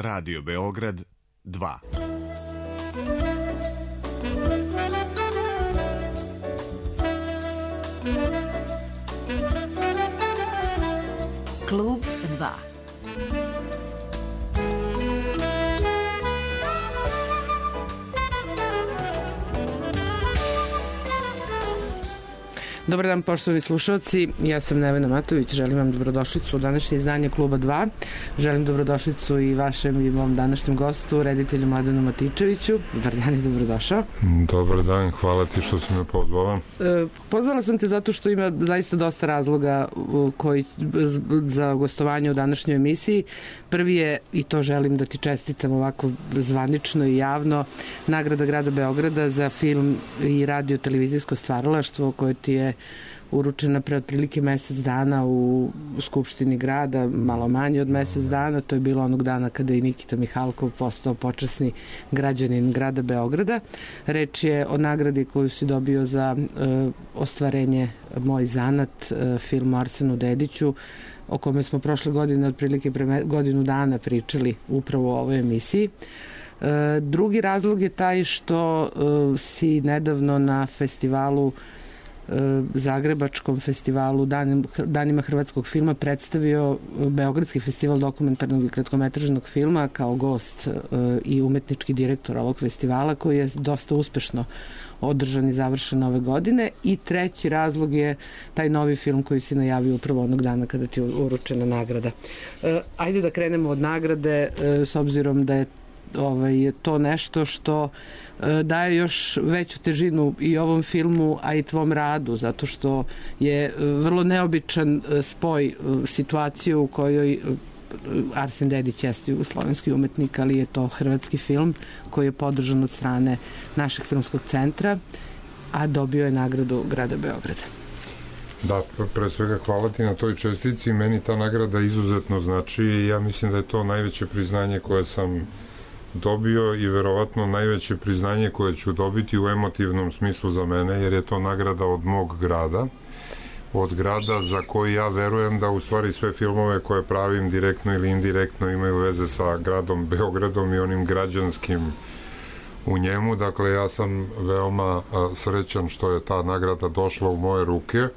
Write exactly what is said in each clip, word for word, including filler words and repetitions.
Radio Beograd dva. Klub dva. Dobar dan, poštovani slušalci, ja sam Nevena Matović, želim vam dobrodošlicu u današnje izdanje Kluba dva. Želim dobrodošlicu i vašem i mom današnjem gostu, reditelju Mladenu Matičeviću. Dobar dan i dobrodošao. Dobar dan, hvala ti što si me pozvala. E, pozvala sam te zato što ima zaista dosta razloga koji, za gostovanje u današnjoj emisiji. Prvi je, i to želim da ti čestitam ovako zvanično i javno, nagrada grada Beograda za film i radio televizijsko stvaralaštvo koje ti je uručena pre otprilike mesec dana u Skupštini grada, malo manje od mesec dana. To je bilo onog dana kada je Nikita Mihalkov postao počasni građanin grada Beograda. Reč je o nagradi koju si dobio za uh, ostvarenje Moj zanat, uh, film o Arsenu Dediću, o kome smo prošle godine otprilike pre godinu dana pričali upravo u ovoj emisiji. Uh, drugi razlog je taj što uh, si nedavno na festivalu Zagrebačkom festivalu Danima hrvatskog filma predstavio Beogradski festival dokumentarnog i kratkometražnog filma kao gost i umetnički direktor ovog festivala, koji je dosta uspešno održan i završen ove godine. I treći razlog je taj novi film koji si najavio upravo onog dana kada ti je uručena nagrada. Ajde da krenemo od nagrade, s obzirom da je Ovaj, to nešto što e, daje još veću težinu i ovom filmu, a i tvom radu, zato što je e, vrlo neobičan e, spoj e, situacije u kojoj e, Arsen Dedić jeste jugoslovenski umetnik, ali je to hrvatski film koji je podržan od strane našeg filmskog centra, a dobio je nagradu grada Beograda. Da, pre svega hvala ti na toj čestici. Meni ta nagrada izuzetno znači i ja mislim da je to najveće priznanje koje sam dobio i verovatno najveće priznanje koje ću dobiti u emotivnom smislu za mene, jer je to nagrada od mog grada, od grada za koji ja verujem da u stvari sve filmove koje pravim direktno ili indirektno imaju veze sa gradom Beogradom i onim građanskim u njemu. Dakle, ja sam veoma srećan što je ta nagrada došla u moje ruke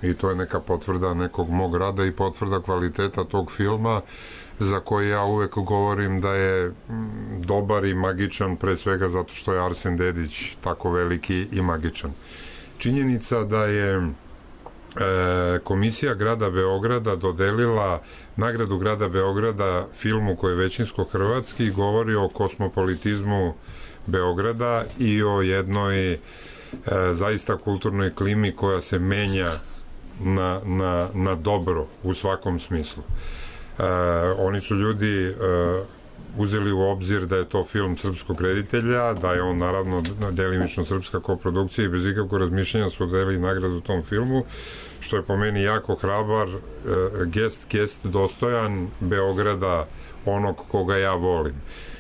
i to je neka potvrda nekog mog rada i potvrda kvaliteta tog filma, za koji ja uvek govorim da je dobar i magičan, pre svega zato što je Arsen Dedić tako veliki i magičan. Činjenica da je e, Komisija grada Beograda dodelila nagradu grada Beograda filmu koji je većinsko hrvatski govori o kosmopolitizmu Beograda i o jednoj e, zaista kulturnoj klimi koja se menja na, na, na dobro u svakom smislu. Uh, oni su ljudi uh, uzeli u obzir da je to film srpskog reditelja, da je on naravno delimično srpska koprodukcija i bez ikakvog razmišljanja su deli nagradu tom filmu, što je po meni jako hrabar uh, gest, gest dostojan Beograda, onog koga ja volim.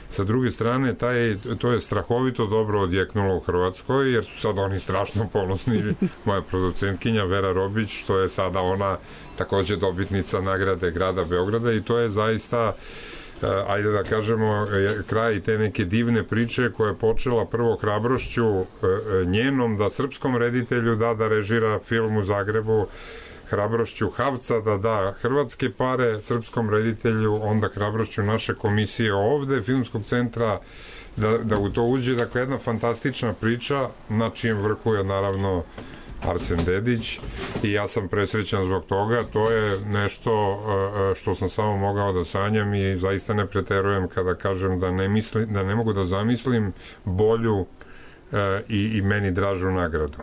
Sa druge strane, taj, to je strahovito dobro odjeknulo u Hrvatskoj, jer su sad oni strašno ponosni. Moja producentkinja Vera Robić, što je sada ona takođe dobitnica nagrade grada Beograda, i to je zaista, ajde da kažemo, kraj te neke divne priče koja je počela prvo hrabrošću njenom da srpskom reditelju da da režira film u Zagrebu, hrabrošću Havca da da hrvatske pare srpskom reditelju, onda hrabrošću naše komisije ovde, filmskog centra, da, da u to uđe. Dakle, jedna fantastična priča na čijem vrhu je naravno Arsen Dedić i ja sam presrećan zbog toga. To je nešto što sam samo mogao da sanjam i zaista ne preterujem kada kažem da ne, misli, da ne mogu da zamislim bolju i, i meni dražu nagradu.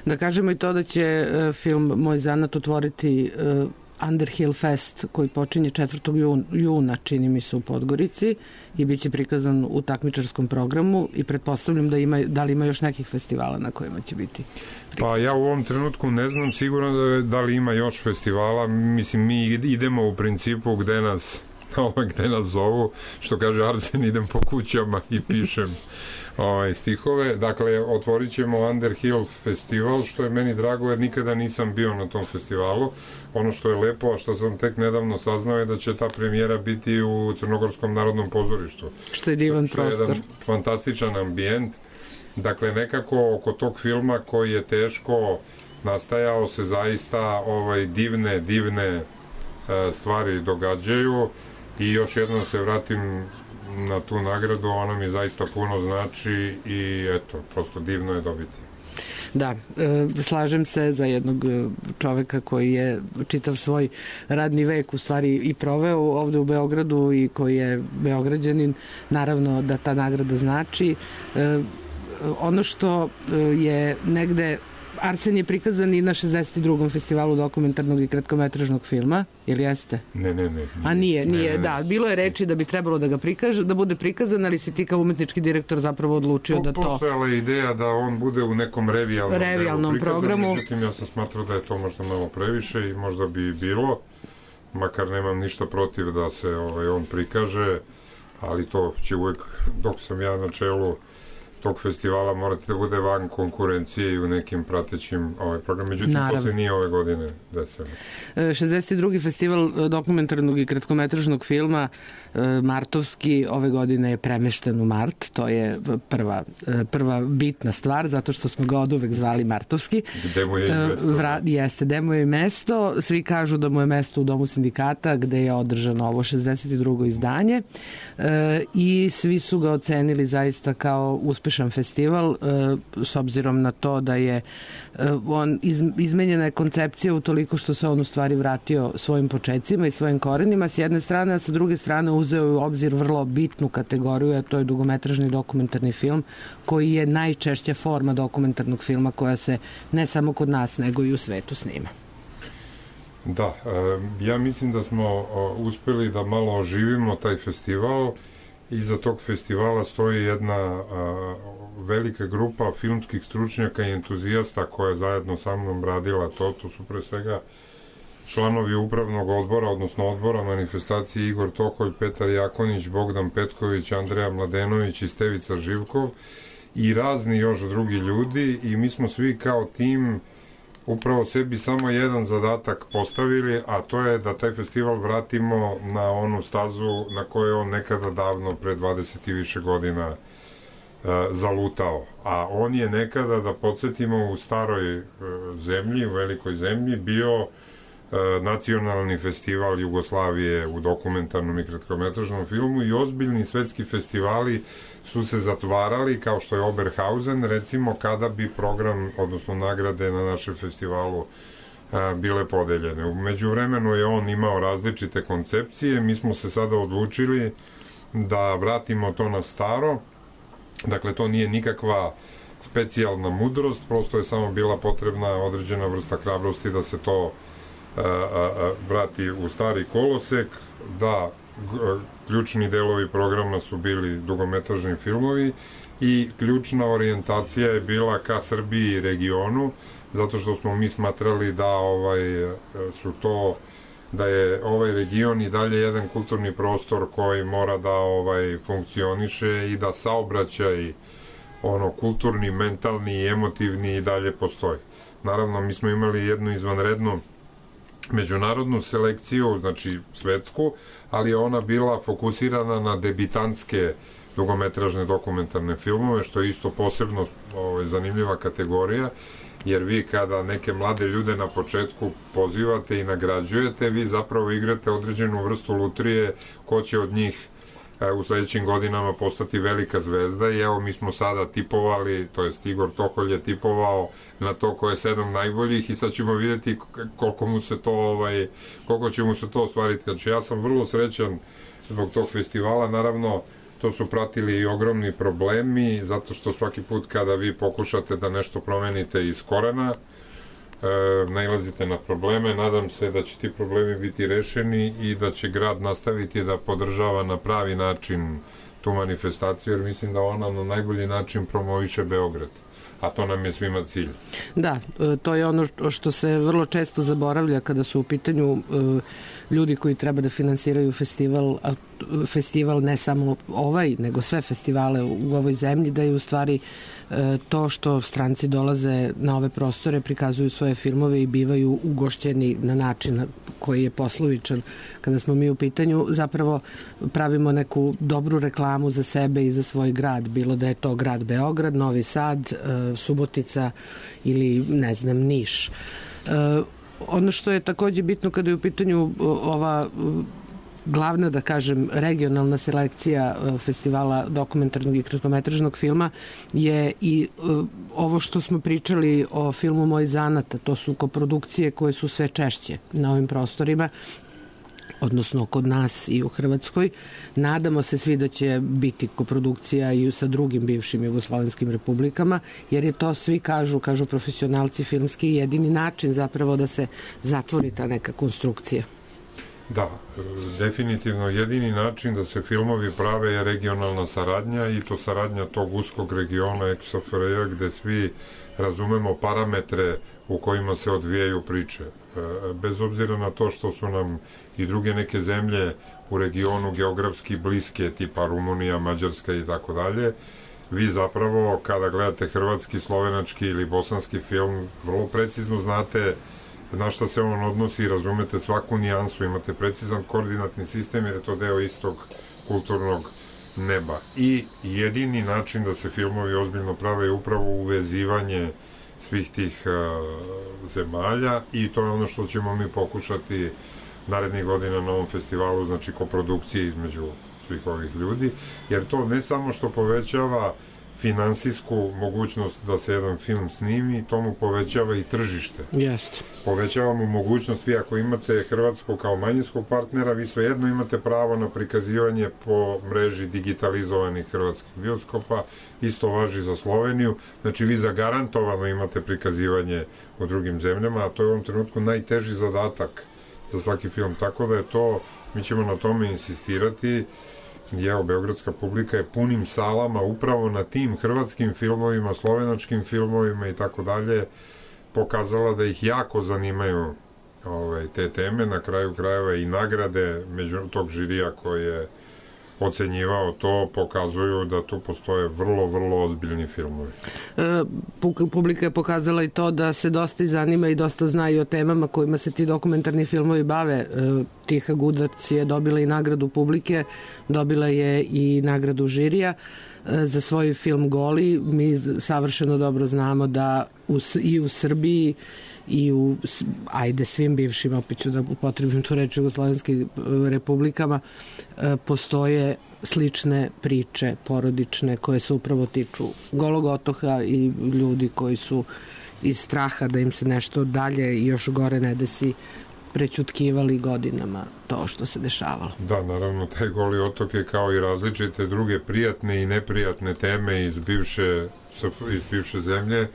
Da kažemo i to da će uh, film Moj zanat otvoriti uh, Underhill Fest koji počinje četvrtog juna, čini mi se, u Podgorici i bit će prikazan u takmičarskom programu i pretpostavljam da ima, da li ima još nekih festivala na kojima će biti prikazan. Pa ja u ovom trenutku ne znam sigurno da, da li ima još festivala. Mislim, mi idemo u principu gde nas ovaj, gde nas zovu, što kaže Arsen, idem po kućama i pišem ovaj, stihove. Dakle, otvorit ćemo Underhill festival, što je meni drago, jer nikada nisam bio na tom festivalu. Ono što je lepo, a što sam tek nedavno saznao, je da će ta premijera biti u Crnogorskom narodnom pozorištu. Što je divan što, što prostor. je jedan fantastičan ambijent. Dakle, nekako oko tog filma koji je teško nastajao se zaista ovaj, divne, divne e, stvari događaju i još jednom se vratim na tu nagradu, ona mi zaista puno znači i eto, prosto divno je dobiti. Da, e, slažem se za jednog čoveka koji je čitav svoj radni vek u stvari i proveo ovde u Beogradu i koji je beograđanin, naravno da ta nagrada znači. E, ono što je negde Arsen je prikazan i na šezdeset drugom festivalu dokumentarnog i kratkometražnog filma, ili jeste? Ne, ne, ne. A nije, nije, ne, ne, da. Bilo je reči da bi trebalo da ga prikaže, da bude prikazan, ali si ti kao umetnički direktor zapravo odlučio po, da to... Postojala je ideja da on bude u nekom revijalnom, revijalnom programu. Međutim, ja sam smatrao da je to možda malo previše i možda bi bilo, makar nemam ništa protiv da se ovaj, on prikaže, ali to će uvek, dok sam ja na čelu tog festivala, morate da bude van konkurencije i u nekim pratećim ovaj program. Međutim, Naravno. to se nije ove godine desilo. šezdeset drugi festival dokumentarnog i kratkometražnog filma martovski ove godine je premešten u mart. To je prva, prva bitna stvar, zato što smo ga oduvek zvali martovski. Gde mu je i mesto? Vra, jeste, gde mu je i mesto. Svi kažu da mu je mesto u Domu sindikata, gde je održano ovo šezdeset drugo izdanje. E, I svi su ga ocenili zaista kao uspešan festival, e, s obzirom na to da je e, on iz, izmenjena je koncepcija utoliko što se on u stvari vratio svojim počecima i svojim korenima s jedne strane, a sa druge strane uzeo u obzir vrlo bitnu kategoriju, a to je dugometražni dokumentarni film, koji je najčešća forma dokumentarnog filma koja se ne samo kod nas, nego i u svetu snima. Da, ja mislim da smo uspeli da malo oživimo taj festival. Iza tog festivala stoji jedna velika grupa filmskih stručnjaka i entuzijasta koja je zajedno sa mnom radila to. To su pre svega članovi upravnog odbora, odnosno odbora manifestacije Igor Tokolj, Petar Jakonić, Bogdan Petković, Andreja Mladenović i Stevica Živkov i razni još drugi ljudi, i mi smo svi kao tim upravo sebi samo jedan zadatak postavili, a to je da taj festival vratimo na onu stazu na kojoj je on nekada davno, pre dvadeset i više godina, e, zalutao. A on je nekada, da podsjetimo, u staroj e, zemlji, u velikoj zemlji, bio nacionalni festival Jugoslavije u dokumentarnom i kratkometražnom filmu, i ozbiljni svetski festivali su se zatvarali, kao što je Oberhausen, recimo, kada bi program, odnosno nagrade na našem festivalu a, bile podeljene. U međuvremenu je on imao različite koncepcije, mi smo se sada odlučili da vratimo to na staro. Dakle, to nije nikakva specijalna mudrost, prosto je samo bila potrebna određena vrsta hrabrosti da se to A, a, a, vrati u stari kolosek, da g, ključni delovi programa su bili dugometražni filmovi i ključna orijentacija je bila ka Srbiji i regionu, zato što smo mi smatrali da ovaj su to da je ovaj region i dalje jedan kulturni prostor koji mora da ovaj funkcioniše i da saobraćaj ono kulturni, mentalni i emotivni i dalje postoji. Naravno, mi smo imali jednu izvanrednu međunarodnu selekciju, znači svetsku, ali je ona bila fokusirana na debitantske dugometražne dokumentarne filmove, što je isto posebno ovaj, zanimljiva kategorija, jer vi kada neke mlade ljude na početku pozivate i nagrađujete, vi zapravo igrate određenu vrstu lutrije ko će od njih u sledećim godinama postati velika zvezda, i evo mi smo sada tipovali, to jest Igor Tokolj je tipovao na to ko je sedam najboljih, i sad ćemo videti koliko mu se to ovaj, koliko će mu se to ostvariti. Znači ja sam vrlo srećan zbog tog festivala. Naravno, to su pratili i ogromni problemi, zato što svaki put kada vi pokušate da nešto promenite iz korena, E, nailazite na probleme. Nadam se da će ti problemi biti rešeni i da će grad nastaviti da podržava na pravi način tu manifestaciju, jer mislim da ona na najbolji način promoviše Beograd. a to nam je svima cilj. Da, to je ono što se vrlo često zaboravlja kada su u pitanju ljudi koji treba da finansiraju festival, festival ne samo ovaj, nego sve festivale u ovoj zemlji, da je u stvari to što stranci dolaze na ove prostore, prikazuju svoje filmove i bivaju ugošćeni na način koji je poslovičan. Kada smo mi u pitanju, zapravo pravimo neku dobru reklamu za sebe i za svoj grad, bilo da je to grad Beograd, Novi Sad, Subotica ili, ne znam, Niš. Ono što je takođe bitno kada je u pitanju ova glavna, da kažem, regionalna selekcija festivala dokumentarnog i kratkometražnog filma je i ovo što smo pričali o filmu Moj zanat, to su koprodukcije koje su sve češće na ovim prostorima, odnosno kod nas i u Hrvatskoj. Nadamo se svi da će biti koprodukcija i sa drugim bivšim jugoslovenskim republikama, jer je to, svi kažu, kažu profesionalci filmski, jedini način zapravo da se zatvori ta neka konstrukcija. Da, definitivno jedini način da se filmovi prave je regionalna saradnja, i to saradnja tog uskog regiona eks ef er je, gde svi razumemo parametre u kojima se odvijaju priče. Bez obzira na to što su nam i druge neke zemlje u regionu geografski bliske, tipa Rumunija, Mađarska i tako dalje, vi zapravo kada gledate hrvatski, slovenački ili bosanski film, vrlo precizno znate na šta se on odnosi i razumete svaku nijansu, imate precizan koordinatni sistem jer je to deo istog kulturnog neba. I jedini način da se filmovi ozbiljno prave je upravo uvezivanje svih tih uh, zemalja, i to je ono što ćemo mi pokušati narednih godina na ovom festivalu, znači koprodukcije između svih ovih ljudi, jer to ne samo što povećava finansijsku mogućnost da se jedan film snimi, to mu povećava i tržište. Jeste. Povećava mu mogućnost, vi ako imate Hrvatsku kao manjinskog partnera, vi svejedno imate pravo na prikazivanje po mreži digitalizovanih hrvatskih bioskopa, isto važi za Sloveniju, znači vi zagarantovano imate prikazivanje u drugim zemljama, a to je u ovom trenutku najteži zadatak za svaki film, tako da je to, mi ćemo na tome insistirati. I evo, beogradska publika je punim salama upravo na tim hrvatskim filmovima, slovenačkim filmovima i tako dalje pokazala da ih jako zanimaju ovaj, te teme, na kraju krajeva i nagrade među tog žirija koji je ocenjivao to, pokazuju da tu postoje vrlo, vrlo ozbiljni filmovi. E, publika je pokazala i to da se dosta zanima i dosta zna i o temama kojima se ti dokumentarni filmovi bave. E, Tiha Gudac je dobila i nagradu publike, dobila je i nagradu žirija e, za svoj film Goli. Mi savršeno dobro znamo da u, i u Srbiji i u, ajde, svim bivšim, opet ću da upotrebim tu reč, jugoslovenskim republikama, postoje slične priče porodične koje se upravo tiču Golog otoka i ljudi koji su iz straha da im se nešto dalje i još gore ne desi prećutkivali godinama to što se dešavalo. Da, naravno, taj Goli otok je kao i različite druge prijatne i neprijatne teme iz bivše, iz bivše zemlje,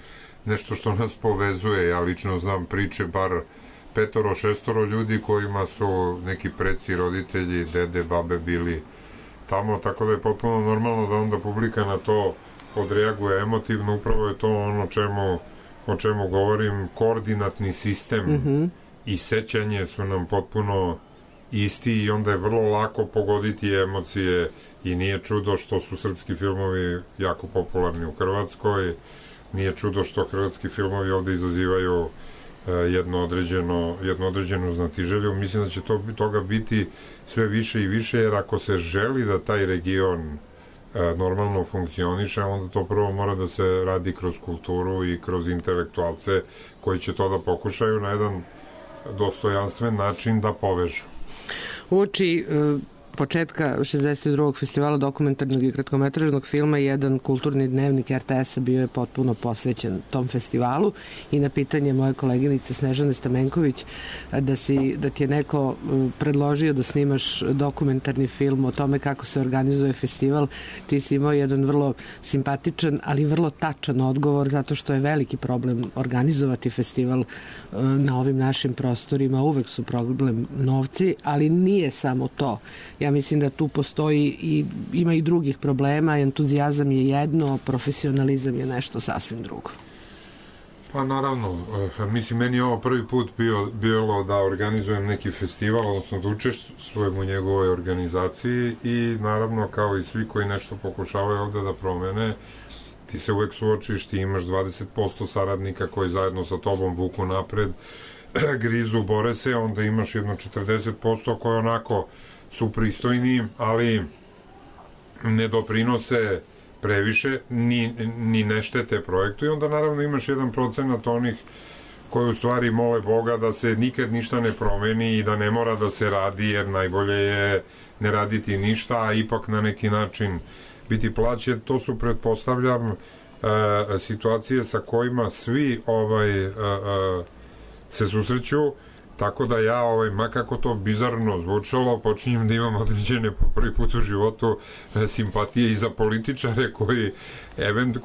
nešto što nas povezuje. Ja lično znam priče bar petoro, šestoro ljudi kojima su neki preci, roditelji, dede, babe bili tamo, tako da je potpuno normalno da onda publika na to odreaguje emotivno. Upravo je to ono čemu, o čemu govorim, koordinatni sistem mm-hmm. i sećanje su nam potpuno isti i onda je vrlo lako pogoditi emocije i nije čudo što su srpski filmovi jako popularni u Hrvatskoj. Nije čudo što hrvatski filmovi ovde izazivaju uh, jedno određeno, jedno određenu znatiželju. Mislim da će to, toga biti sve više i više, jer ako se želi da taj region uh, normalno funkcioniše, onda to prvo mora da se radi kroz kulturu i kroz intelektualce koji će to da pokušaju na jedan dostojanstven način da povežu. Uoči uh... početka šezdeset drugog festivala dokumentarnog i kratkometražnog filma jedan kulturni dnevnik er te es-a bio je potpuno posvećen tom festivalu i na pitanje moje koleginice Snežane Stamenković da, si, da ti je neko predložio da snimaš dokumentarni film o tome kako se organizuje festival, ti si imao jedan vrlo simpatičan, ali vrlo tačan odgovor, zato što je veliki problem organizovati festival na ovim našim prostorima, uvek su problem novci, ali nije samo to. Ja Ja mislim da tu postoji i ima i drugih problema, entuzijazam je jedno, profesionalizam je nešto sasvim drugo. Pa naravno, mislim, meni je ovo prvi put bio, bilo da organizujem neki festival, odnosno da učestvujem u njegovoj organizaciji i naravno, kao i svi koji nešto pokušavaju ovde da promene, ti se uvek suočiš, ti imaš dvadeset posto saradnika koji zajedno sa tobom vuku napred, grizu, bore se, onda imaš jedno četrdeset posto koji onako su pristojni, ali ne doprinose previše, ni, ni ne štete projektu i onda naravno imaš jedan procenat onih koji u stvari mole Boga da se nikad ništa ne promeni i da ne mora da se radi, jer najbolje je ne raditi ništa, a ipak na neki način biti plaćen. To su, pretpostavljam, e, situacije sa kojima svi ovaj e, e, se susreću, tako da ja, ovaj, makako to bizarno zvučalo, počinjem da imam određene po prvi put u životu e, simpatije i za političare koji event,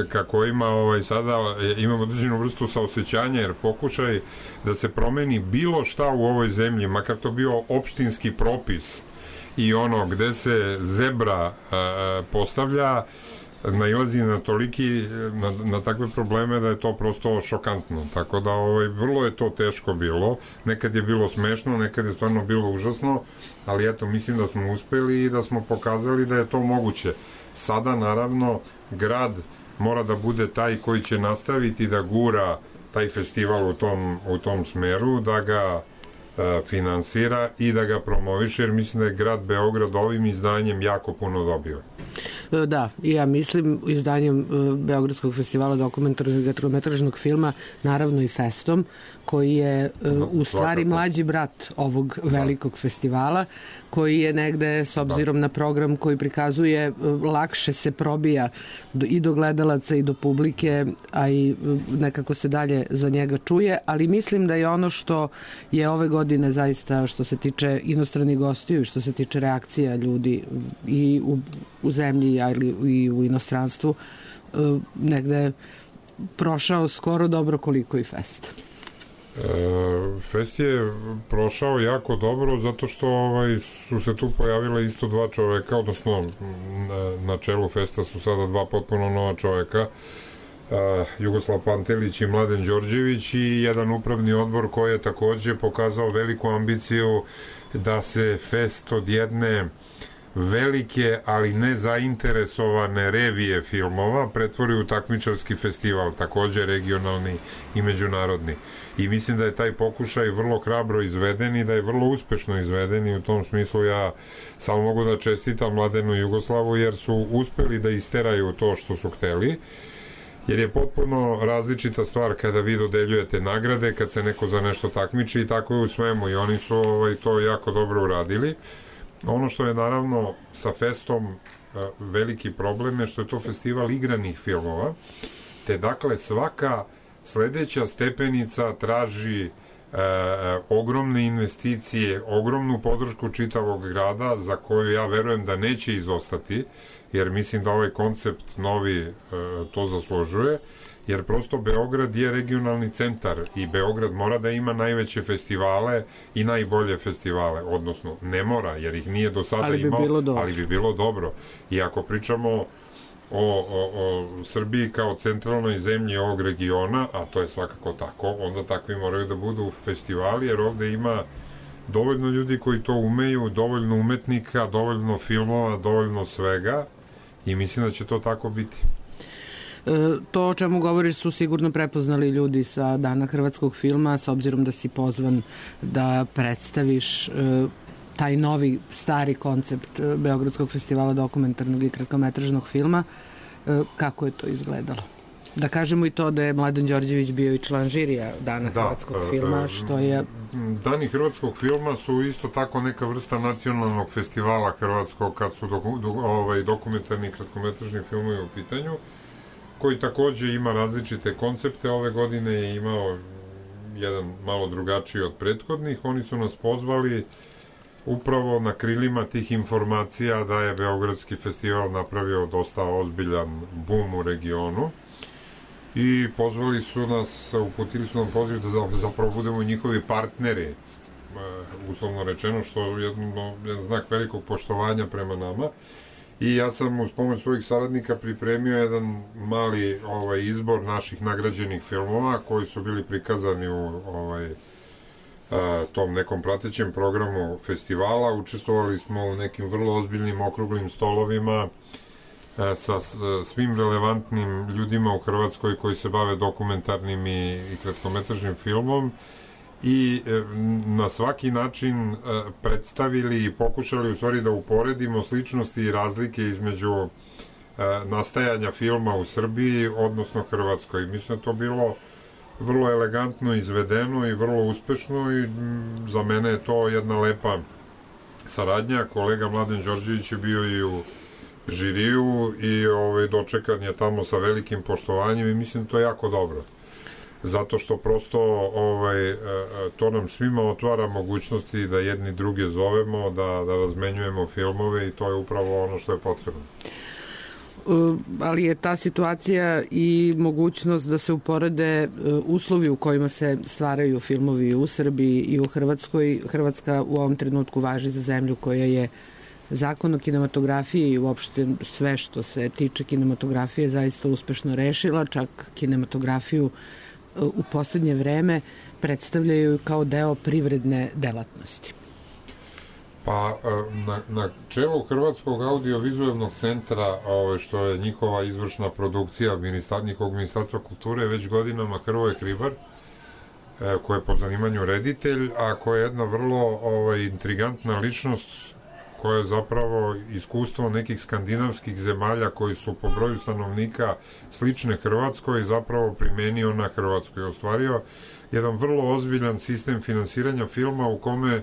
ka kojima ovaj, sada imam određenu vrstu saosećanja, jer pokušaj da se promeni bilo šta u ovoj zemlji, makar to bio opštinski propis i ono gde se zebra e, postavlja, nailazi na toliki, na, na takve probleme da je to prosto šokantno. Tako da ovaj, vrlo je to teško bilo. Nekad je bilo smešno, nekad je stvarno bilo užasno, ali eto, mislim da smo uspeli i da smo pokazali da je to moguće. Sada, naravno, grad mora da bude taj koji će nastaviti da gura taj festival u tom, u tom smeru, da ga e, finansira i da ga promoviše, jer mislim da je grad Beograd ovim izdanjem jako puno dobio. Da, i ja mislim izdanjem Beogradskog festivala dokumentarnog i kratkometražnog filma, naravno i Festom, koji je u stvari mlađi brat ovog velikog festivala, koji je negde, s obzirom na program koji prikazuje, lakše se probija i do gledalaca i do publike, a i nekako se dalje za njega čuje, ali mislim da je ono što je ove godine zaista, što se tiče inostranih gostiju i što se tiče reakcija ljudi i u, u zemlji, ali i u inostranstvu, negde prošao skoro dobro koliko i Fest. E, Fest je prošao jako dobro zato što ovaj, su se tu pojavile isto dva čoveka, odnosno na, na čelu Festa su sada dva potpuno nova čoveka, e, Jugoslav Pantelić i Mladen Đorđević, i jedan upravni odbor koji je takođe pokazao veliku ambiciju da se Fest od jedne velike, ali ne zainteresovane revije filmova pretvori u takmičarski festival, takođe regionalni i međunarodni. I mislim da je taj pokušaj vrlo hrabro izveden i da je vrlo uspešno izveden, i u tom smislu ja samo mogu da čestitam Mladenu i Jugoslavu, jer su uspeli da isteraju to što su hteli, jer je potpuno različita stvar kada vi dodeljujete nagrade, kad se neko za nešto takmiči, i tako je u svemu, i oni su ovaj, to jako dobro uradili. Ono što je naravno sa Festom veliki problem je što je to festival igranih filmova, te dakle svaka sledeća stepenica traži e, ogromne investicije, ogromnu podršku čitavog grada, za koju ja verujem da neće izostati, jer mislim da ovaj koncept novi e, to zaslužuje, jer prosto Beograd je regionalni centar i Beograd mora da ima najveće festivale i najbolje festivale, odnosno ne mora, jer ih nije do sada ali bi imao, bilo ali bi bilo dobro. I ako pričamo o, o, o Srbiji kao centralnoj zemlji ovog regiona, a to je svakako tako, onda takvi moraju da budu festivali, jer ovde ima dovoljno ljudi koji to umeju, dovoljno umetnika, dovoljno filmova, dovoljno svega, i mislim da će to tako biti. To o čemu govoriš su sigurno prepoznali ljudi sa Dana hrvatskog filma, s obzirom da si pozvan da predstaviš taj novi, stari koncept Beogradskog festivala dokumentarnog i kratkometražnog filma. Kako je to izgledalo? Da kažemo i to da je Mladen Đorđević bio i član žirija Dana da, hrvatskog filma, što je... Dani hrvatskog filma su isto tako neka vrsta nacionalnog festivala hrvatskog kad su doku, do, ovaj, dokumentarni i kratkometražni filmovi u pitanju, koji takođe ima različite koncepte. Ove godine je imao jedan malo drugačiji od prethodnih. Oni su nas pozvali upravo na krilima tih informacija da je Beogradski festival napravio dosta ozbiljan bum u regionu, i pozvali su nas, uputili su nam poziv da zapravo budemo njihovi partneri uslovno rečeno, što je jedno, jedan znak velikog poštovanja prema nama. I ja sam uz pomoć svojih saradnika pripremio jedan mali ovaj, izbor naših nagrađenih filmova koji su bili prikazani u ovaj, a, tom nekom pratećem programu festivala. Učestvovali smo u nekim vrlo ozbiljnim okruglim stolovima a, sa s, svim relevantnim ljudima u Hrvatskoj koji se bave dokumentarnim i, i kratkometražnim filmom i e, na svaki način e, predstavili i pokušali u stvari da uporedimo sličnosti i razlike između e, nastajanja filma u Srbiji, odnosno Hrvatskoj. Mislim da to bilo vrlo elegantno izvedeno i vrlo uspešno i m, za mene je to jedna lepa saradnja. Kolega Mladen Đorđević je bio i u žiriju i ovaj, dočekan je tamo sa velikim poštovanjem i mislim to je jako dobro. Zato što prosto ovaj, to nam svima otvara mogućnosti da jedni druge zovemo, da, da razmenjujemo filmove i to je upravo ono što je potrebno. Ali je ta situacija i mogućnost da se uporede uslovi u kojima se stvaraju filmovi u Srbiji i u Hrvatskoj. Hrvatska u ovom trenutku važi za zemlju koja je zakon o kinematografiji i uopšte sve što se tiče kinematografije zaista uspešno rešila, čak kinematografiju u poslednje vreme predstavljaju kao deo privredne delatnosti. Pa na, na čelu Hrvatskog audiovizualnog centra, ove, što je njihova izvršna produkcija ministar, njihovog ministarstva kulture, već godinama Hrvoje Hribar, e, koji je po zanimanju reditelj, a koja je jedna vrlo ovaj, intrigantna ličnost koja je zapravo iskustvo nekih skandinavskih zemalja koji su po broju stanovnika slične Hrvatskoj zapravo primenio na Hrvatskoj. Ostvario jedan vrlo ozbiljan sistem finansiranja filma u kome e,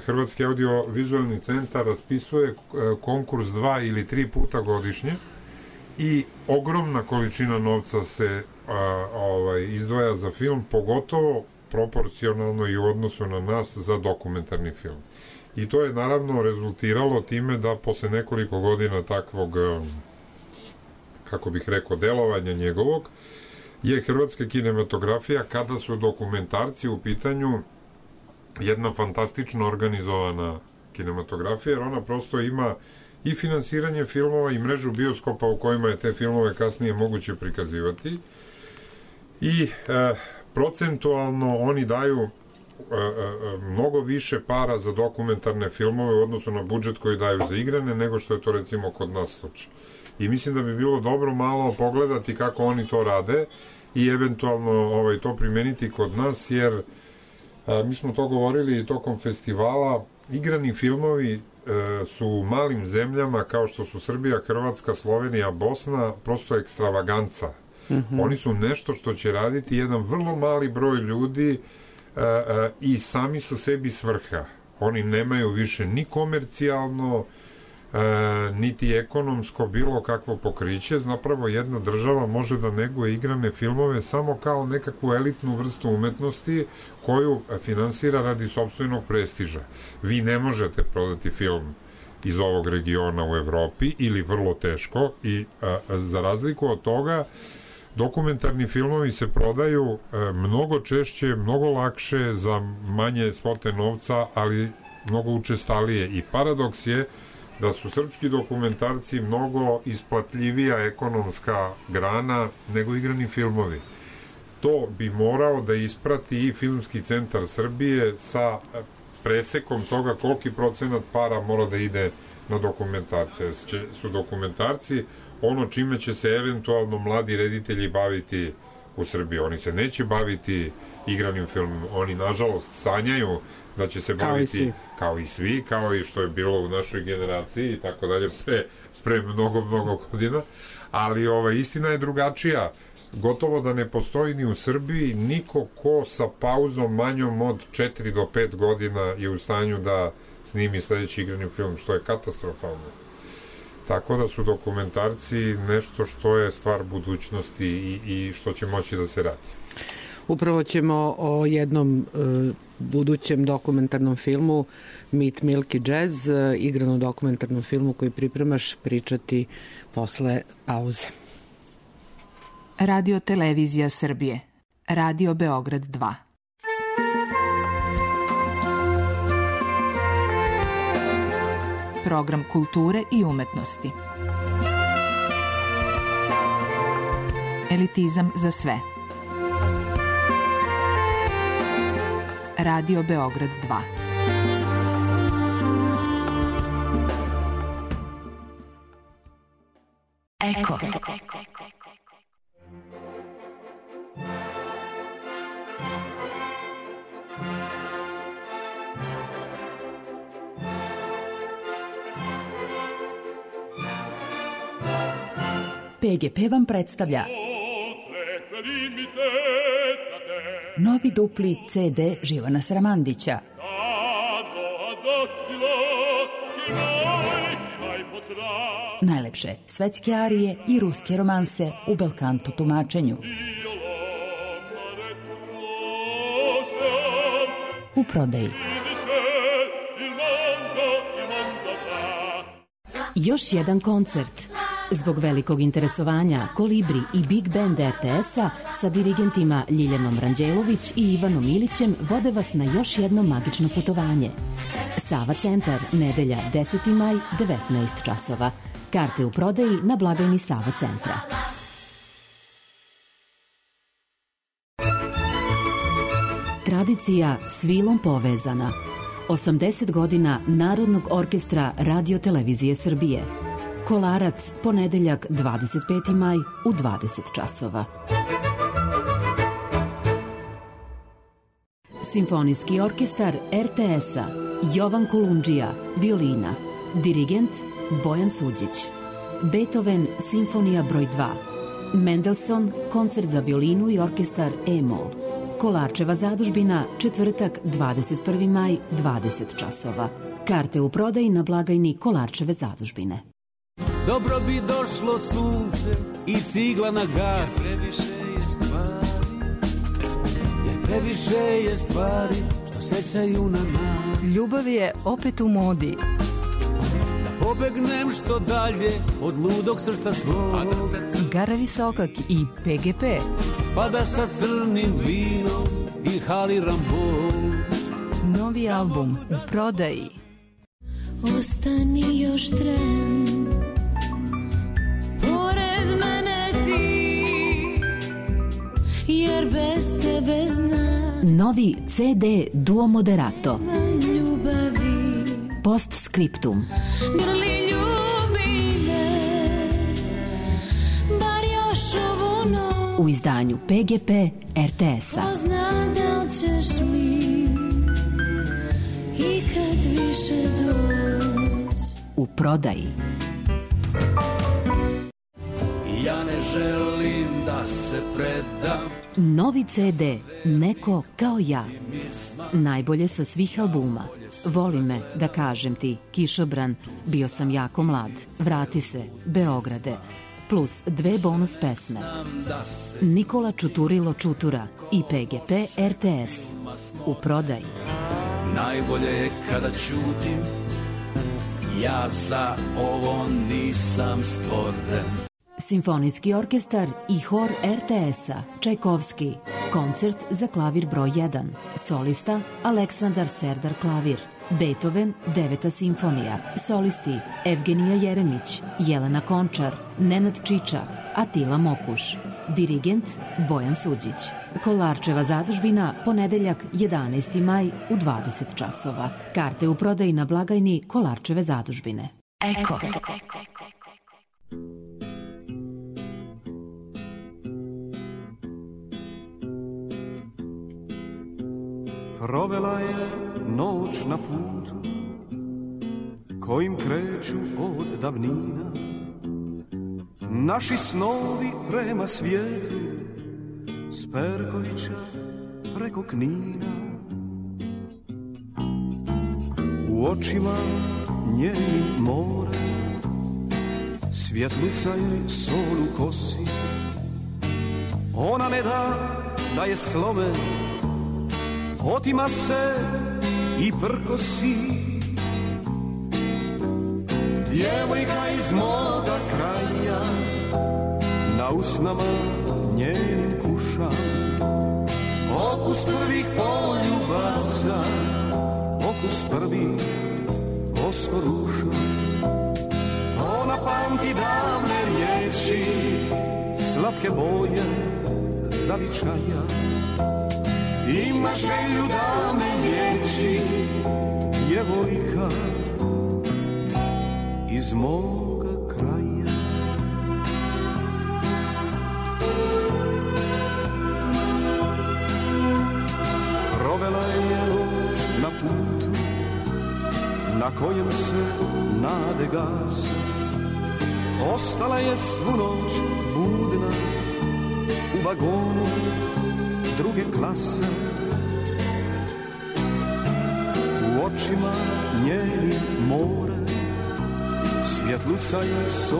Hrvatski audiovizualni centar raspisuje e, konkurs dva ili tri puta godišnje i ogromna količina novca se a, ovaj, izdvaja za film, pogotovo proporcionalno i u odnosu na nas za dokumentarni film. I to je naravno rezultiralo time da posle nekoliko godina takvog, kako bih rekao, delovanja njegovog, je hrvatska kinematografija, kada su dokumentarci u pitanju, jedna fantastično organizovana kinematografija, jer ona prosto ima i finansiranje filmova i mrežu bioskopa u kojima je te filmove kasnije moguće prikazivati i e, procentualno oni daju mnogo više para za dokumentarne filmove u odnosu na budžet koji daju za igrane, nego što je to recimo kod nas slučaj. I mislim da bi bilo dobro malo pogledati kako oni to rade i eventualno ovaj, to primeniti kod nas, jer a, mi smo to govorili i tokom festivala, igrani filmovi e, su u malim zemljama kao što su Srbija, Hrvatska, Slovenija, Bosna, prosto ekstravaganca. Mm-hmm. Oni su nešto što će raditi jedan vrlo mali broj ljudi E, e, i sami su sebi svrha. Oni nemaju više ni komercijalno e, niti ekonomsko bilo kakvo pokriće. Zapravo jedna država može da neguje igrane filmove samo kao nekakvu elitnu vrstu umetnosti koju finansira radi sopstvenog prestiža. Vi ne možete prodati film iz ovog regiona u Evropi ili vrlo teško i a, za razliku od toga dokumentarni filmovi se prodaju e, mnogo češće, mnogo lakše za manje svote novca, ali mnogo učestalije. I paradoks je da su srpski dokumentarci mnogo isplatljivija ekonomska grana nego igrani filmovi. To bi morao da isprati i Filmski centar Srbije sa presekom toga koliki procenat para mora da ide na dokumentarce. Su dokumentarci ono čime će se eventualno mladi reditelji baviti u Srbiji. Oni se neće baviti igranim filmom. Oni, nažalost, sanjaju da će se baviti kao i, kao i svi, kao i što je bilo u našoj generaciji i tako dalje pre, pre mnogo, mnogo godina. Ali ovaj, istina je drugačija. Gotovo da ne postoji ni u Srbiji niko ko sa pauzom manjom od četiri do pet godina je u stanju da snimi sledeći igrani film, što je katastrofalno. Tako da su dokumentarci nešto što je stvar budućnosti i, i što će moći da se radi. Upravo ćemo o jednom e, budućem dokumentarnom filmu Meet Milky Jazz, e, igranom dokumentarnom filmu koji pripremaš, pričati posle pauze. Radio Televizija Srbije. Radio Beograd dva. program kulture i umetnosti. Elitizam za sve. Radio Beograd dva. Eko. P G P vam predstavlja novi dupli C D Živana Sramandića. Najlepše svetske arije i ruske romanse u belkanto tumačenju. U prodaji. Još jedan koncert. Zbog velikog interesovanja Kolibri i Big Band R T S-a sa dirigentima Ljiljanom Ranđelović i Ivanom Ilićem vode vas na još jedno magično putovanje. Sava centar, nedelja deseti maj, devetnaest časova. Karte u prodaji na blagajni Sava centra. Tradicija s vilom povezana. osamdeset godina Narodnog orkestra Radio Televizije Srbije. Kolarac, ponedeljak dvadeset peti maj u dvadeset časova. Simfonijski orkestar R T S-a Jovan Kolundžija, violina. Dirigent Bojan Suđić. Beethoven, simfonija broj dva. Mendelssohn, koncert za violinu i orkestar E-mol. Kolarčeva zadužbina, četvrtak dvadeset prvi maj, dvadeset časova. Karte u prodaji na blagajni Kolarčeve zadužbine. Dobro bi došlo sunce i cigla na gas. Jer previše je stvari, jer previše je stvari što sećaju na nas. Ljubav je opet u modi. Da pobegnem što dalje od ludog srca svog. Gara Visokak i P G P. Pa da sa crnim vinom inhaliram bol. Novi album u prodaji. Ostani još tren, pored mene ti, jer bez tebe znam. Novi C D Duo Moderato. Ljubavi. Postscriptum. Grli ljubi me, bar još ovu noć. U izdanju P G P R T S-a. Ko zna da li ćeš mi ikad više doć. U prodaji. Ja ne želim da se predam. Novi C D Neko kao ja. Najbolje sa svih albuma. Voli me, da kažem ti, Kišobran, Bio sam jako mlad, Vrati se, Beograde, plus dve bonus pesme. Nikola Čuturilo Čutura i P G P R T S. U prodaji. Najbolje je kada ćutim, ja za ovo nisam stvoren. Simfonijski orkestar i hor R T S-a Čajkovski. Koncert za klavir broj jedan. Solista Aleksandar Serdar klavir. Beethoven, deveta simfonija. Solisti Evgenija Jeremić, Jelena Končar, Nenad Čiča, Atila Mokuš. Dirigent Bojan Suđić. Kolarčeva zadužbina, ponedeljak jedanaesti maj u dvadeset časova. Karte u prodaji na blagajni Kolarčeve zadužbine. Eko. Provela je noć na putu kojim kreću od davnina naši snovi prema svijetu s Perkovića preko Knina. U očima njenim more, svjetluca je sol u kosi. Ona ne da da je slome, otima se i prkosi. Djevojka iz moga kraja, na usnama njenim kuša okus prvih poljubaca, okus prvih vosko ruša. Ona pamti davne riječi, slatke boje zavičaja. Ima želju da me liječi, djevojka iz moga kraja. Provela je noć na putu na kojem se nade gase. Ostala je svu noć budna u vagonu druge klase. U očima njeni more, svjetluca je sol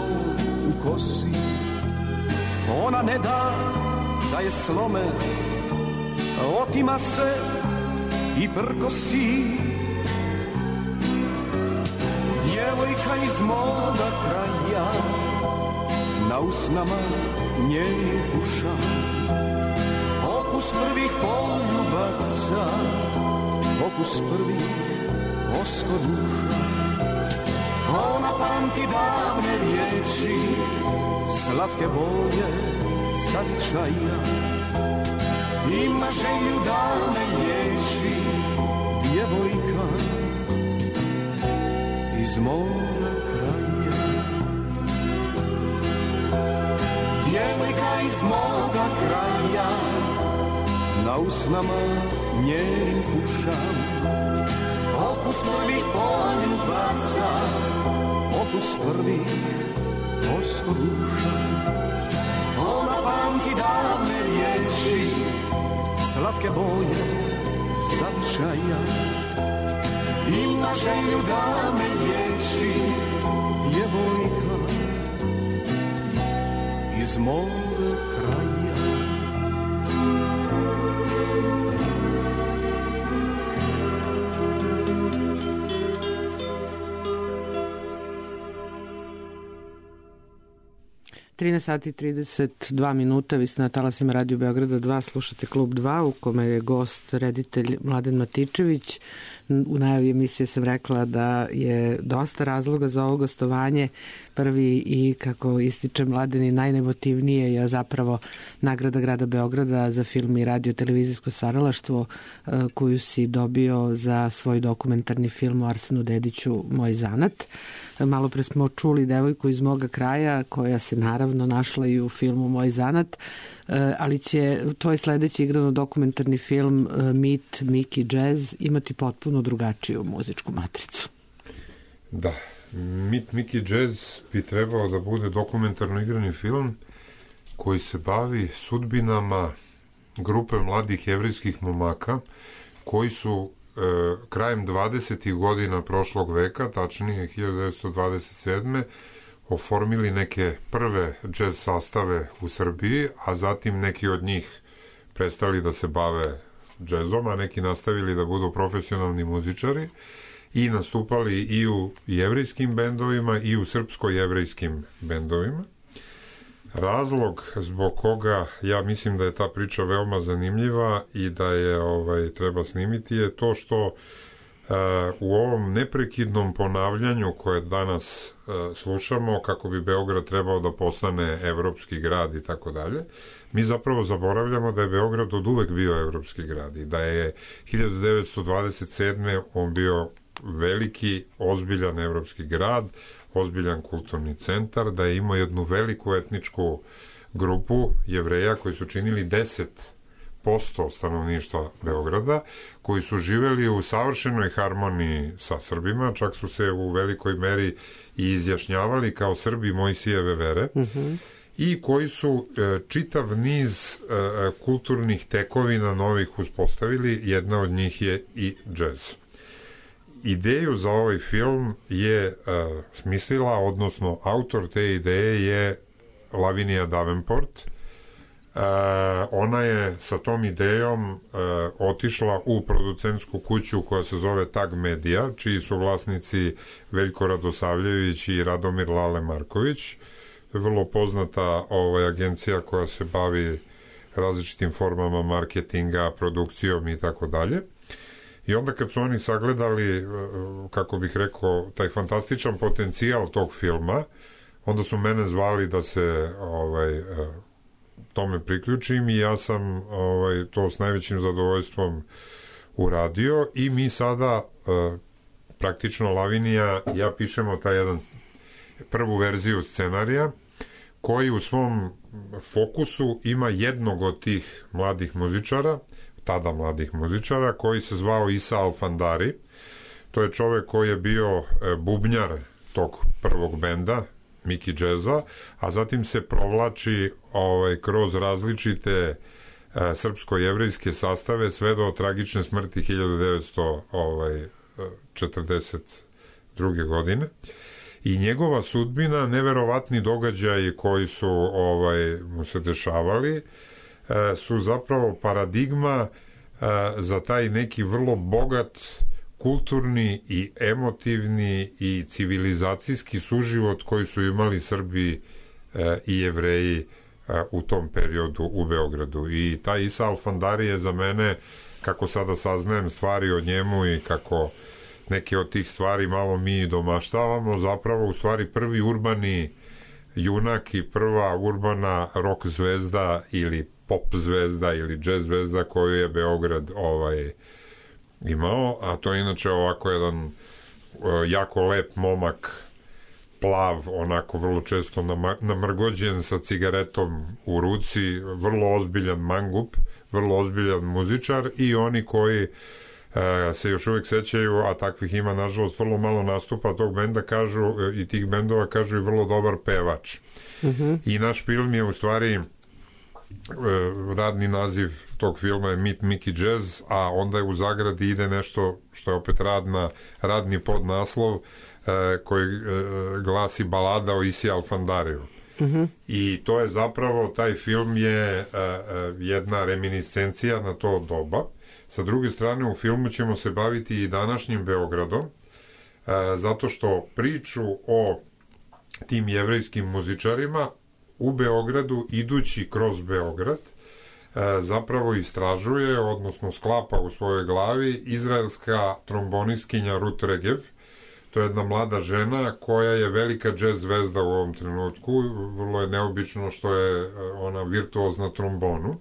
u kosi. Ona ne da da je slome, otima se i prkosi. Djevojka iz moga kraja, na usnama njenih uša, okus prvih poljubaca, okus prvih vosko duša. Ona pamti davne riječi, slatke boje zavičaja. Ima želju da me liječi, djevojka iz moga kraja. Djevojka iz moga kraja, na usnama njenim kušam, okus prvih poljubaca, okus prvih vosko duša. Ona pamti davne riječi, slatke boje zavičaja. Ima želju da me liječi, djevojka iz moga kraja. trinaest sati i trideset dva minuta, vi ste na talasima Radio Beograda dva, slušate Klub dva u kome je gost reditelj Mladen Matičević. U najavi emisije sam rekla da je dosta razloga za ovo gostovanje. Prvi i, kako ističe Mladen, i najnemotivnije je zapravo nagrada grada Beograda za film i radio televizijsko stvaralaštvo koju si dobio za svoj dokumentarni film o Arsenu Dediću Moj zanat. Malo pre smo čuli devojku iz moga kraja koja se naravno našla i u filmu Moj zanat, ali će tvoj sledeći igrano dokumentarni film Mit, Miki, Jazz imati potpuno drugačiju muzičku matricu. Da, Mit, Miki, Jazz bi trebao da bude dokumentarno igrani film koji se bavi sudbinama grupe mladih jevrijskih momaka koji su e, krajem dvadesetih godina prošlog veka, tačnije hiljadu devetsto dvadeset sedme oformili neke prve džez sastave u Srbiji, a zatim neki od njih prestali da se bave džezom, a neki nastavili da budu profesionalni muzičari i nastupali i u jevrijskim bendovima i u srpsko-jevrejskim bendovima. Razlog zbog koga ja mislim da je ta priča veoma zanimljiva i da je ovaj treba snimiti je to što uh, u ovom neprekidnom ponavljanju koje danas uh, slušamo kako bi Beograd trebao da postane evropski grad i tako dalje, mi zapravo zaboravljamo da je Beograd od uvek bio evropski grad i da je hiljadu devetsto dvadeset sedme on bio veliki, ozbiljan evropski grad, ozbiljan kulturni centar, da je imao jednu veliku etničku grupu Jevreja koji su činili deset posto stanovništva Beograda, koji su živeli u savršenoj harmoniji sa Srbima, čak su se u velikoj meri i izjašnjavali kao Srbi Mojsijeve vere, mm-hmm. i koji su e, čitav niz e, kulturnih tekovina novih uspostavili, jedna od njih je i džez. Ideju za ovaj film je uh, smislila, odnosno autor te ideje je Lavinija Davenport. Uh, ona je sa tom idejom uh, otišla u producentsku kuću koja se zove Tag Media, čiji su vlasnici Veljko Radosavljević i Radomir Lale Marković. Vrlo poznata ovaj, agencija koja se bavi različitim formama marketinga, produkcijom i tako dalje. I onda kad su oni sagledali, kako bih rekao, taj fantastičan potencijal tog filma, onda su mene zvali da se ovaj, tome priključim i ja sam ovaj, to s najvećim zadovoljstvom uradio i mi sada praktično Lavinija, ja pišemo taj jedan prvu verziju scenarija koji u svom fokusu ima jednog od tih mladih muzičara, tada mladih muzičara, koji se zvao Isa Alfandari. To je čovek koji je bio bubnjar tog prvog benda, Miki Jazza, a zatim se provlači ovaj, kroz različite e, srpsko-jevrejske sastave sve do tragične smrti hiljadu devetsto četrdeset druge. godine. I njegova sudbina, neverovatni događaji koji su ovaj, mu se dešavali, e, su zapravo paradigma e, za taj neki vrlo bogat kulturni i emotivni i civilizacijski suživot koji su imali Srbi e, i Jevreji e, u tom periodu u Beogradu. I taj Isa Alfandari je za mene, kako sada saznajem stvari o njemu i kako neke od tih stvari malo mi domaštavamo, zapravo u stvari prvi urbani junak i prva urbana rock zvezda ili pop zvezda ili jazz zvezda koju je Beograd ovaj imao, a to je inače ovako jedan uh, jako lep momak, plav, onako vrlo često namrgođen sa cigaretom u ruci, vrlo ozbiljan mangup, vrlo ozbiljan muzičar i oni koji uh, se još uvijek sećaju, a takvih ima nažalost vrlo malo nastupa tog benda, kažu uh, i tih bendova, kažu i vrlo dobar pevač. Mm-hmm. I naš film je u stvari radni naziv tog filma je Meet Mickey Jazz, a onda je u zagradi ide nešto što je opet radna, radni podnaslov eh, koji eh, glasi Balada o Isi Alfandariju. Mm-hmm. I to je zapravo, taj film je eh, jedna reminiscencija na to doba. Sa druge strane, u filmu ćemo se baviti i današnjim Beogradom, eh, zato što priču o tim jevrejskim muzičarima u Beogradu, idući kroz Beograd, zapravo istražuje, odnosno sklapa u svojoj glavi izraelska trombonistkinja Ruth Regev. To je jedna mlada žena koja je velika džez zvezda u ovom trenutku. Vrlo je neobično što je ona virtuozna trombonu.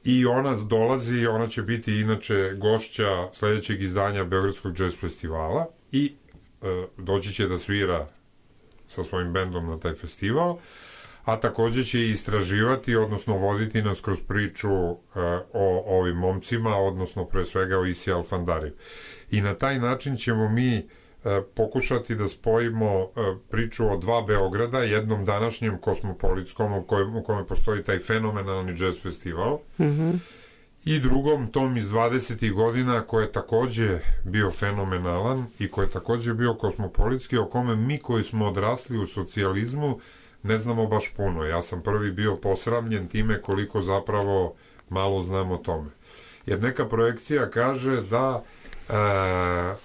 I ona dolazi, ona će biti inače gošća sledećeg izdanja Beogradskog džez festivala i e, doći će da svira sa svojim bendom na taj festival, a takođe će istraživati, odnosno voditi nas kroz priču uh, o ovim momcima, odnosno pre svega o Isi Alfandariju. I na taj način ćemo mi uh, pokušati da spojimo uh, priču o dva Beograda, jednom današnjem kosmopolitskom u kojem, u kojem postoji taj fenomenalni jazz festival, mm-hmm. i drugom tom iz dvadesetih godina koji je takođe bio fenomenalan i koji je takođe bio kosmopolitski, o kome mi koji smo odrasli u socijalizmu ne znamo baš puno. Ja sam prvi bio posramljen time koliko zapravo malo znam o tome. Jer neka projekcija kaže da e, e,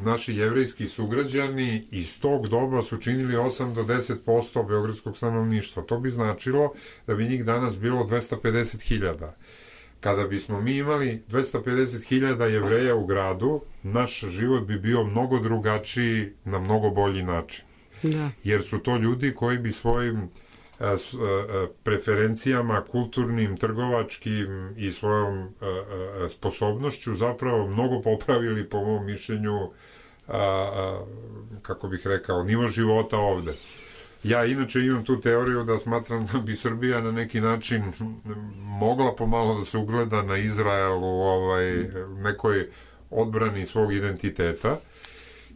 naši jevrejski sugrađani iz tog doba su činili osam do deset posto beogradskog stanovništva. To bi značilo da bi njih danas bilo dvesta pedeset hiljada. Kada bismo mi imali dvesta pedeset hiljada Jevreja u gradu, naš život bi bio mnogo drugačiji na mnogo bolji način. Da. Jer su to ljudi koji bi svojim a, s, a, preferencijama kulturnim, trgovačkim i svojom a, a, sposobnošću zapravo mnogo popravili, po mom mišljenju, a, a, kako bih rekao, nivo života ovde. Ja inače imam tu teoriju da smatram da bi Srbija na neki način mogla pomalo da se ugleda na Izrael u ovaj, nekoj odbrani svog identiteta.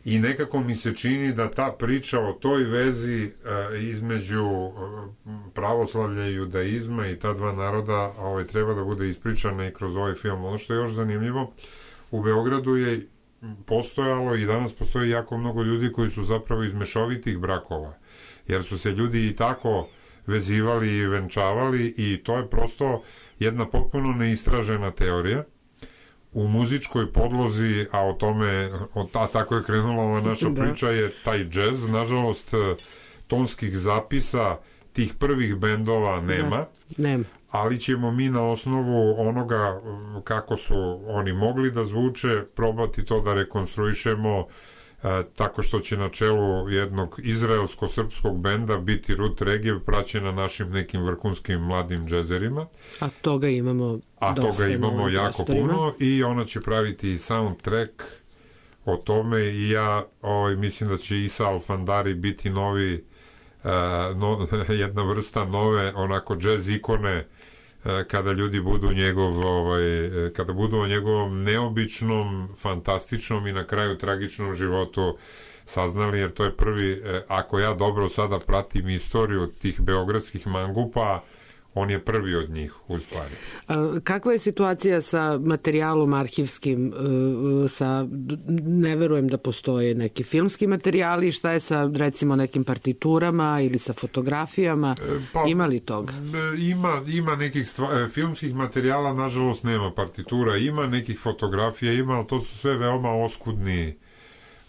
I nekako mi se čini da ta priča o toj vezi e, između e, pravoslavlja i judaizma i ta dva naroda ovaj, treba da bude ispričana i kroz ovaj film. Ono što je još zanimljivo, u Beogradu je postojalo i danas postoji jako mnogo ljudi koji su zapravo iz mešovitih brakova, jer su se ljudi i tako vezivali i venčavali i to je prosto jedna potpuno neistražena teorija u muzičkoj podlozi, a o tome, a tako je krenula ova naša da. priča, je taj džez. Nažalost, tonskih zapisa tih prvih bendova nema, da. nema. ali ćemo mi na osnovu onoga kako su oni mogli da zvuče, probati to da rekonstruišemo e, tako što će na čelu jednog izraelsko-srpskog benda biti Ruth Regev, praćena našim nekim vrhunskim mladim džezerima. A toga imamo A dosta toga imamo jako prostorima. puno i ona će praviti i soundtrack o tome i ja ovaj, mislim da će Isa Alfandari biti novi Uh, no, jedna vrsta nove onako džez ikone uh, kada ljudi budu njegov ovaj, kada budu o njegovom neobičnom, fantastičnom i na kraju tragičnom životu saznali, jer to je prvi, uh, ako ja dobro sada pratim istoriju tih beogradskih mangupa, on je prvi od njih u stvari. A, kakva je situacija sa materijalom arhivskim? Sa, ne verujem da postoje neki filmski materijali, šta je sa recimo nekim partiturama ili sa fotografijama? Pa, ima li toga? Ima, ima nekih stva, filmskih materijala, nažalost nema partitura, ima nekih fotografija, ima, ali to su sve veoma oskudni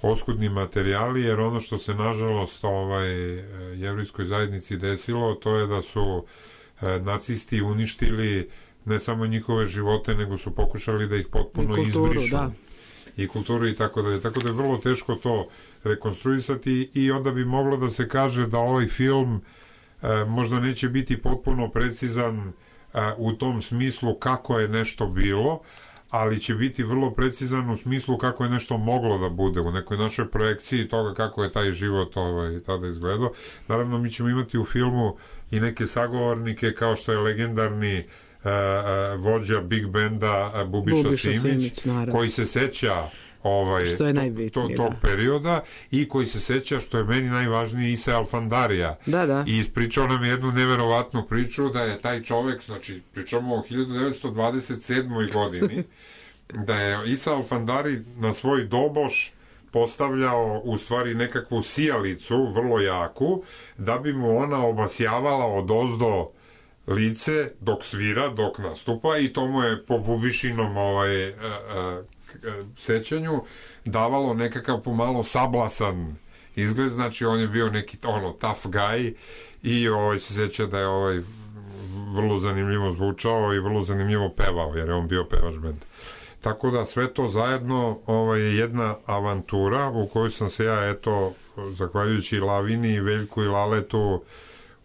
oskudni materijali, jer ono što se nažalost ovaj, jevrejskoj zajednici desilo, to je da su nacisti uništili ne samo njihove živote, nego su pokušali da ih potpuno I kulturu, izbrišu. Da. I kulturu i tako dalje. Tako da je vrlo teško to rekonstruisati i onda bi moglo da se kaže da ovaj film e, možda neće biti potpuno precizan e, u tom smislu kako je nešto bilo, ali će biti vrlo precizan u smislu kako je nešto moglo da bude u nekoj našoj projekciji toga kako je taj život ovaj, tada izgledao. Naravno, mi ćemo imati u filmu i neke sagovornike kao što je legendarni uh, uh, vođa Big Benda uh, Bubiša, Bubiša Simić, Simić koji se seća ovaj, što je to, to, tog da. perioda i koji se seća, što je meni najvažnije, Isa Alfandarija. Da, da. I ispričao nam jednu neverovatnu priču da je taj čovek, znači pričamo o hiljadu devetsto dvadeset sedmoj godini, da je Isa Alfandari na svoj doboš postavljao u stvari nekakvu sijalicu, vrlo jaku, da bi mu ona obasjavala odozdo lice dok svira, dok nastupa, i to mu je po Bubišinom ovaj, a, a, sećanju davalo nekakav pomalo sablasan izgled, znači on je bio neki ono tough guy i ovaj, se seća da je ovaj vrlo zanimljivo zvučao i vrlo zanimljivo pevao, jer je on bio pevač bend. Tako da sve to zajedno ovaj, je jedna avantura u kojoj sam se ja, eto, zahvaljujući Lavini, Veljku i Laletu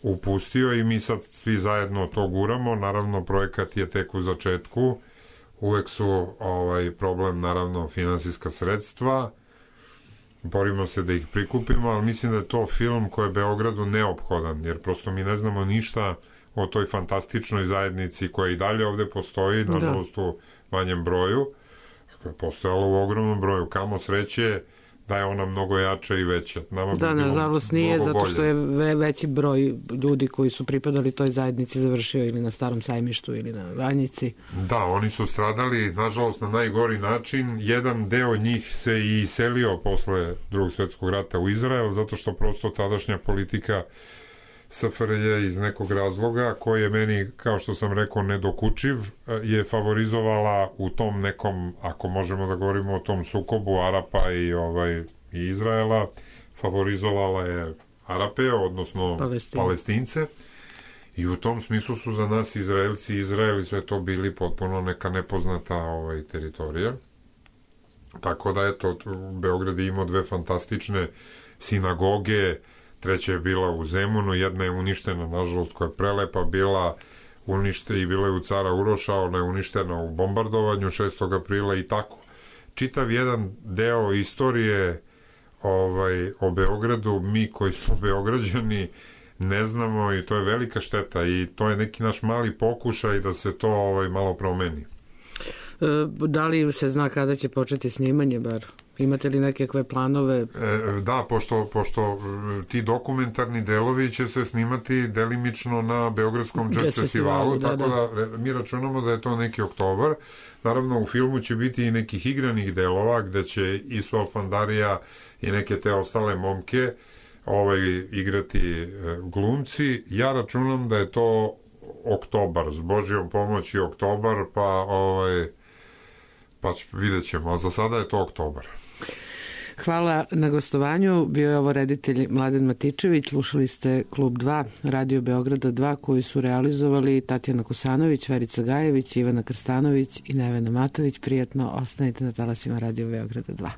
upustio i mi sad svi zajedno to guramo. Naravno, projekat je tek u začetku. Uvek su ovaj, problem, naravno, finansijska sredstva. Borimo se da ih prikupimo, ali mislim da je to film koji je Beogradu neophodan, jer prosto mi ne znamo ništa o toj fantastičnoj zajednici koja i dalje ovde postoji, nažalost u manjem broju, postojala u ogromnom broju. Kamo sreće da je ona mnogo jača i veća. Nama da, bi nažalost nije, zato što je ve, veći broj ljudi koji su pripadali toj zajednici završio ili na Starom sajmištu ili na Vanjici. Da, oni su stradali, nažalost, na najgori način. Jedan deo njih se i iselio posle Drugog svjetskog rata u Izrael, zato što prosto tadašnja politika S F R J iz nekog razloga, koji je meni, kao što sam rekao, nedokučiv, je favorizovala u tom nekom, ako možemo da govorimo o tom sukobu Arapa i, ovaj, i Izraela, favorizovala je Arape, odnosno Palestin. Palestince, i u tom smislu su za nas Izraelci i Izraeli sve to bili potpuno neka nepoznata ovaj, teritorija. Tako da, eto, Beograd je imao dve fantastične sinagoge, treća je bila u Zemunu, jedna je uništena, nažalost, koja je prelepa bila, unište i bila je u Cara Uroša, ona je uništena u bombardovanju šestog aprila i tako. Čitav jedan deo istorije ovaj, o Beogradu, mi koji smo Beograđani ne znamo, i to je velika šteta i to je neki naš mali pokušaj da se to ovaj, malo promeni. E, da li se zna kada će početi snimanje, bar? Imate li nekakve planove? E, da, pošto, pošto ti dokumentarni delovi će se snimati delimično na Beogradskom jazz festivalu, da, tako da. da mi računamo da je to neki oktobar. Naravno, u filmu će biti i nekih igranih delova gde će Isu Alfandarija i neke te ostale momke ovaj, igrati glumci. Ja računam da je to oktobar, s Božjom pomoći oktobar, pa ovaj, pa vidjet ćemo, a za sada je to oktobar. Hvala na gostovanju. Bio je ovo reditelj Mladen Matičević. Slušali ste Klub dva, Radio Beograda dva, koji su realizovali Tatjana Kosanović, Verica Gajević, Ivana Krstanović i Nevena Matović. Prijatno, ostanite na talasima Radio Beograda dva.